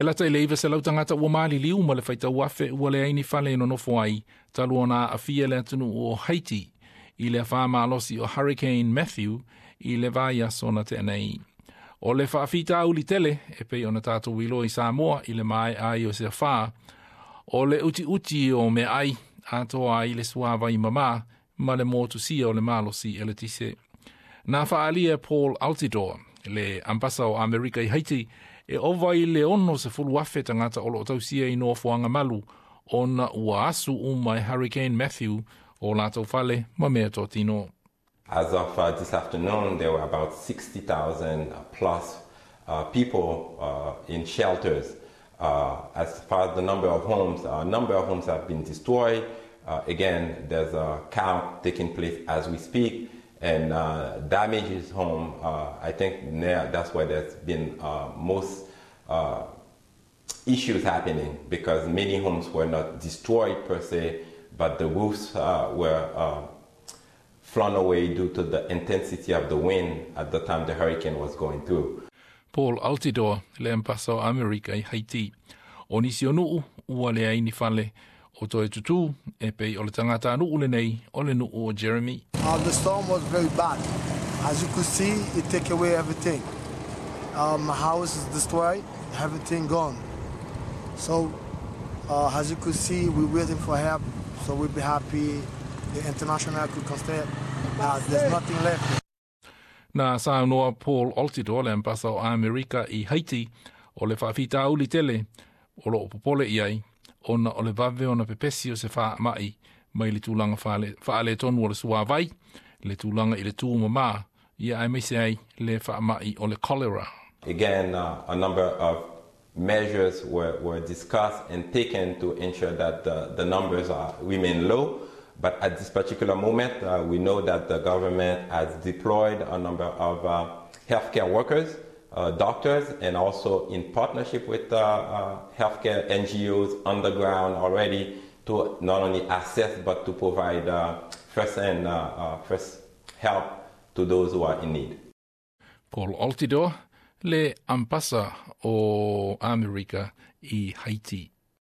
E lata i le 900 tagata ua maliliu ma le faitau afe ua leai ni fale e nonofo ai talu ona aafia le atunuu o Haiti i le afa malosi o Hurricane Matthew i le vaiaso na tea nei. O le faafitauli tele e pei ona tatou iloa i Samoa i le maea ai o se afa, o le utiuti o meaai atoa ai le suavai mama ma le motusia o le malosi eletise. Na faaalia Paul Altidor, le ambasa o Amerika i Haiti, e ova i le 60,000 tagata o lo o tausia i nofoaga malu ona ua asu uma e Hurricane Matthew o latou fale ma meatotino. As of this afternoon, there were about 60,000 plus people in shelters. As far as the number of homes, a number of homes have been destroyed. Again, there's a count taking place as we speak, and damages home, I think that's where there's been most issues happening, because many homes were not destroyed per se, but the roofs were flown away due to the intensity of the wind at the time the hurricane was going through. Paul Altidor, le ambasa o Amerika i Haiti. O nisi o nuu, ua leai ni fale o toe tutū, e pei o le tagatanuu lenei o le nuu o Jeremy. The storm was very bad. As you could see, it take away everything. My house is destroyed, everything gone. So, as you could see, we're waiting for help. So we'll be happy the international could consider. There's nothing left. Na saunoa Paul Altidor, le ambasa o Amerika i Haiti, o le faafitauli tele o lo o popole i ai, ona o le vave ona pepesi o se faamai mai le tulaga faaletonu o le suavai, le tulaga i le tumama, ia aemaise ai le faamai o le cholera. Again, a number of measures were discussed and taken to ensure that the numbers remain low. But at this particular moment, we know that the government has deployed a number of healthcare workers, doctors, and also in partnership with healthcare NGOs on the ground already to not only assess but to provide first help to those who are in need. Paul Altidor, le ambasa o Amerika i Haiti.